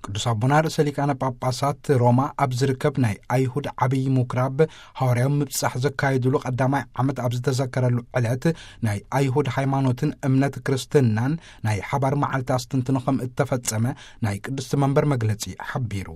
ቅዱስ ኣቦና ርእሰ ሊቃነ ጳጳሳት ሮማ ኣብ ዝርከብ ናይ ኣይሁድ ዓብዪ ምኩራብ ሃዋርያዊ ምብጻሕ ዘካየዱሉ ቀዳማይ ዓመት ኣብ ዝተዘከረሉ ዕለት፣ ናይ ኣይሁድ ሃይማኖትን እምነት ክርስትናን ናይ ሓባር መዓልቲ ኣስተንትኖ ከም እተፈጸመ ናይ ቅድስቲ መንበር መግለጺ ሓቢሩ።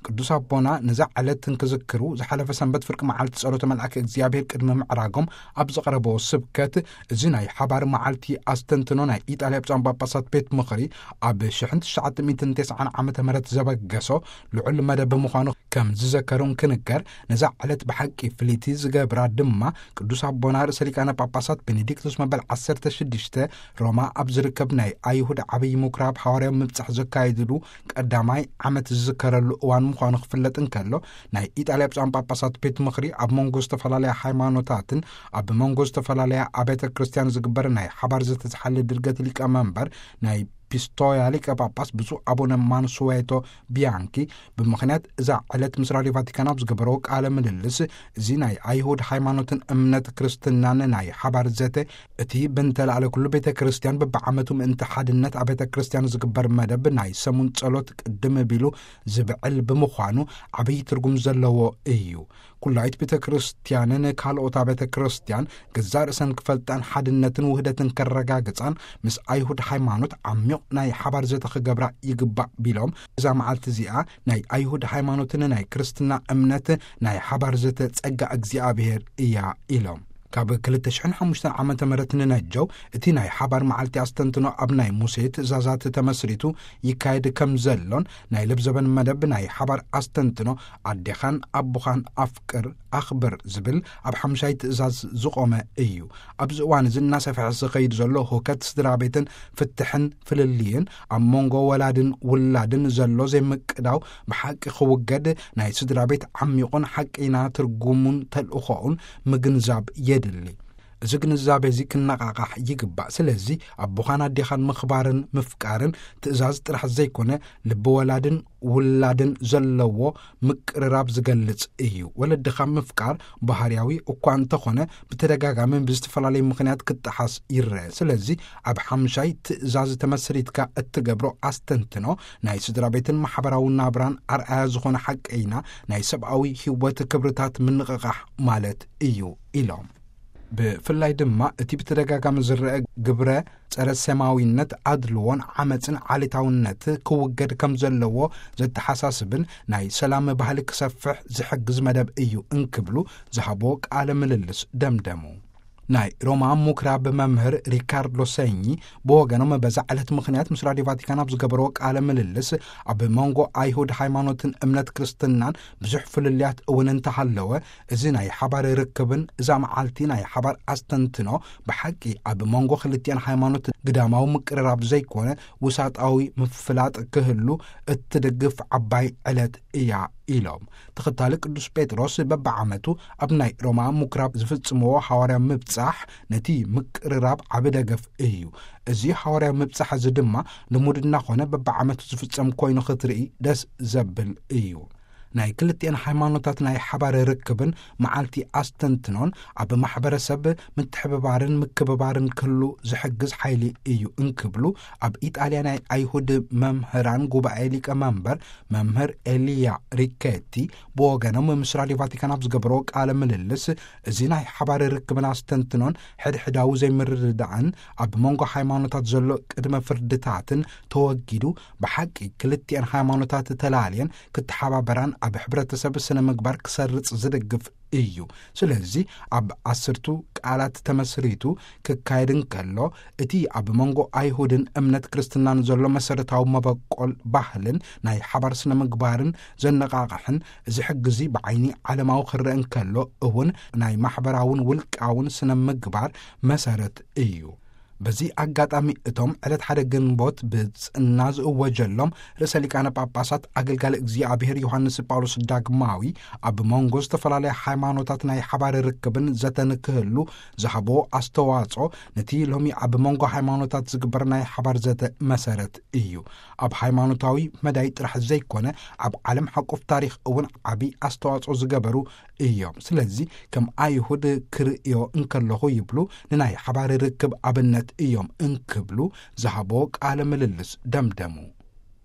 ቅዱስ ኣቦና ነዛ ዕለት እንክዝክሩ፣ ዝሓለፈ ሰንበት ፍርቂ መዓልቲ ጸሎተ መልኣከ እግዚኣብሔር ቅድሚ ምዕራጎም ኣብ ዘቕረቦ ስብከት፣ እዚ ናይ ሓባር መዓልቲ ኣስተንትኖ ናይ ኢጣልያ ብፁዓን ጳጳሳት ቤት ምኽሪ ኣብ ሽሕን ትሽዓተ ሚእትን ተስዓን ዓመተ ምህረት ዘበገሶ ልዑል መደብ ምዃኑ ከም ዝዘከሩ እንክንገር፣ ነዛ ዕለት ብሓቂ ፍልይቲ ዝገብራ ድማ ቅዱስ ኣቦና ርእሰ ሊቃነ ጳጳሳት ቤኔዲክቱስ መበል ዓሰርተ ሽዱሽተ ሮማ ኣብ ዝርከብ ናይ ኣይሁድ ዓብዪ ምኩራብ ሃዋርያዊ ምብጻሕ ዘካየድሉ ቀዳማይ ዓመት ዝዝከረሉ እዋን ምዃኑ ክፍለጥ እንከሎ፣ ናይ ኢጣልያ ብፁዓን ጳጳሳት ቤት ምኽሪ ኣብ መንጎ ዝተፈላለያ ሃይማኖታትን ኣብ መንጎ ዝተፈላለያ ኣብያተ ክርስቲያን ዝግበር ናይ ሓባር ዘተዝሓለ ድርገት ሊቀ መንበር ናይ ፒስቶያ ሊቀ ጳጳስ ብፁዕ ኣቡነ ማንሱዌቶ ቢያንኪ ብምኽንያት እዛ ዕለት ምስ ራድዮ ቫቲካን ኣብ ዝገበረዎ ቃለ ምልልስ፣ እዚ ናይ ኣይሁድ ሃይማኖትን እምነት ክርስትናን ናይ ሓባር ዘተ፣ እቲ ብንተላዕለ ኩሉ ቤተ ክርስቲያን በብዓመቱ ምእንቲ ሓድነት ኣብ ቤተ ክርስቲያን ዝግበር መደብ ናይ ሰሙን ጸሎት ቅድም ቢሉ ዝብዕል ብምዃኑ ዓብዪ ትርጉም ዘለዎ እዩ። ኩላይት ቤተ ክርስቲያንን ካልኦት ቤተ ክርስቲያን ገዛእ ርእሰን ክፈልጣን ሓድነትን ውህደትን ከረጋግጻን ምስ ኣይሁድ ሃይማኖት ዓሚቕ ናይ ሓባር ዘተ ክገብራ ይግባእ ቢሎም፣ እዛ መዓልቲ እዚኣ ናይ ኣይሁድ ሃይማኖትን ናይ ክርስትና እምነት ናይ ሓባር ዘተ ጸጋ እግዚኣብሔር እያ ኢሎም። ካብ ክልተ ሽሕን ሓሙሽተን ዓመተ ምህረት ንነጀው እቲ ናይ ሓባር መዓልቲ ኣስተንትኖ ኣብ ናይ ሙሴ ትእዛዛት ተመስሪቱ ይካየድ ከም ዘሎን፣ ናይ ለብዘበን መደብ ናይ ሓባር ኣስተንትኖ ኣዴኻን ኣቦኻን ኣፍቅር፣ ኣኽብር ዝብል ኣብ ሓምሻይ ትእዛዝ ዝቖመ እዩ። ኣብዚ እዋን እዚ እናሰፍሐ ዝኸይድ ዘሎ ህውከት ስድራ ቤትን ፍትሕን ፍልልይን፣ ኣብ መንጎ ወላድን ውላድን ዘሎ ዘይምቅዳው ብሓቂ ክውገድ ናይ ስድራ ቤት ዓሚቑን ሓቂና ትርጉሙን ተልእኾኡን ምግንዛብ የድሊ። እዚ ግንዛቤ እዚ ክነቓቓሕ ይግባእ። ስለዚ ኣቦኻን ኣዴኻን ምኽባርን ምፍቃርን ትእዛዝ ጥራሕ ዘይኮነ፣ ልቢ ወላድን ውላድን ዘለዎ ምቅርራብ ዝገልጽ እዩ። ወለድኻ ምፍቃር ባህርያዊ እኳ እንተኾነ፣ ብተደጋጋሚ ብዝተፈላለዩ ምኽንያት ክጠሓስ ይረአ። ስለዚ ኣብ ሓምሻይ ትእዛዝ ተመስሪትካ እትገብሮ ኣስተንትኖ፣ ናይ ስድራ ቤትን ማሕበራዊ ናብራን ኣርኣያ ዝኾነ ሓቀይና ናይ ሰብኣዊ ህይወት ክብርታት ምንቕቓሕ ማለት እዩ ኢሎም። ብፍላይ ድማ እቲ ብተደጋጋሚ ዝረአ ግብረ ጸረ ሰማዊነት፣ ኣድልዎን ዓመጽን ዓሌታውነት ክውገድ ከም ዘለዎ ዘተሓሳስብን ናይ ሰላም ባህሊ ክሰፍሕ ዝሕግዝ መደብ እዩ እንክብሉ ዝሃቦ ቃለ ምልልስ ደምደሙ። ናይ ሮማ ምኩራብ መምህር ሪካርዶ ሰኚ ብወገኖም በዛ ዕለት ምኽንያት ምስ ራድዮ ቫቲካን ኣብ ዝገበርዎ ቃለ ምልልስ፣ ኣብ መንጎ ኣይሁድ ሃይማኖትን እምነት ክርስትናን ብዙሕ ፍልልያት እውን እንተሃለወ፣ እዚ ናይ ሓባር ርክብን እዛ መዓልቲ ናይ ሓባር ኣስተንትኖ ብሓቂ ኣብ መንጎ ክልቲኣን ሃይማኖት ግዳማዊ ምቅርራብ ዘይኮነ ውሳጣዊ ምፍላጥ ክህሉ እትድግፍ ዓባይ ዕለት እያ ኢሎም። ተኸታሊ ቅዱስ ጴጥሮስ በብዓመቱ ኣብ ናይ ሮማ ምኩራብ ዝፍጽምዎ ሃዋርያዊ ምብጻሕ ነቲ ምቅርራብ ዓቢ ደገፍ እዩ። እዚ ሃዋርያዊ ምብጻሕ እዚ ድማ ልሙድ እናኾነ በብዓመቱ ዝፍጸም ኮይኑ ክትርኢ ደስ ዘብል እዩ። ናይ ክልቲአን ሃይማኖታት ናይ ሓባር ርክብን መዓልቲ ኣስተንትኖን ኣብ ማሕበረሰብ ምትሕብባርን ምክብባርን ክህሉ ዝሕግዝ ሓይሊ እዩ እንክብሉ፣ ኣብ ኢጣልያ ናይ ኣይሁድ መምህራን ጉባኤ ሊቀ መንበር መምህር ኤልያ ሪኬቲ ብወገኖም ምስ ራድዮ ቫቲካን ኣብ ዝገበርዎ ቃለ ምልልስ፣ እዚ ናይ ሓባር ርክብን ኣስተንትኖን ሕድሕዳዊ ዘይምርድዳእን ኣብ መንጎ ሃይማኖታት ዘሎ ቅድመ ፍርድታትን ተወጊዱ፣ ብሓቂ ክልቲአን ሃይማኖታት ተላልየን ክተሓባበራን ኣብ ሕብረተሰብ ስነ ምግባር ክሰርጽ ዝድግፍ እዩ። ስለዚ ኣብ ኣስርቱ ቃላት ተመስሪቱ ክካየድ እንከሎ፣ እቲ ኣብ መንጎ ኣይሁድን እምነት ክርስትናን ዘሎ መሰረታዊ መበቆል ባህልን ናይ ሓባር ስነ ምግባርን ዘነቓቕሕን፣ እዚ ሕጊ እዚ ብዓይኒ ዓለማዊ ክረአ እንከሎ እውን ናይ ማሕበራውን ውልቃውን ስነ ምግባር መሰረት እዩ። በዚ ኣጋጣሚ እቶም ዕለት ሓደ ግንቦት ብጽና ዝእወጀሎም ርእሰ ሊቃነ ጳጳሳት ኣገልጋሊ እግዚኣብሔር ዮሃንስ ጳውሎስ ዳግማዊ ኣብ መንጎ ዝተፈላለያ ሃይማኖታት ናይ ሓባር ርክብን ዘተን ክህሉ ዝሃቦ ኣስተዋጽኦ ነቲ ሎሚ ኣብ መንጎ ሃይማኖታት ዝግበር ናይ ሓባር ዘተ መሰረት እዩ። ኣብ ሃይማኖታዊ መዳይ ጥራሕ ዘይኮነ ኣብ ዓለም ሓቁፍ ታሪኽ እውን ዓቢ ኣስተዋጽኦ ዝገበሩ እዮም። ስለዚ ከም ኣይሁድ ክርእዮ እንከለኹ ይብሉ ንናይ ሓባር ርክብ ኣብነት እዮም እንክብሉ ዝሃቦ ቃለ ምልልስ ደምደሙ።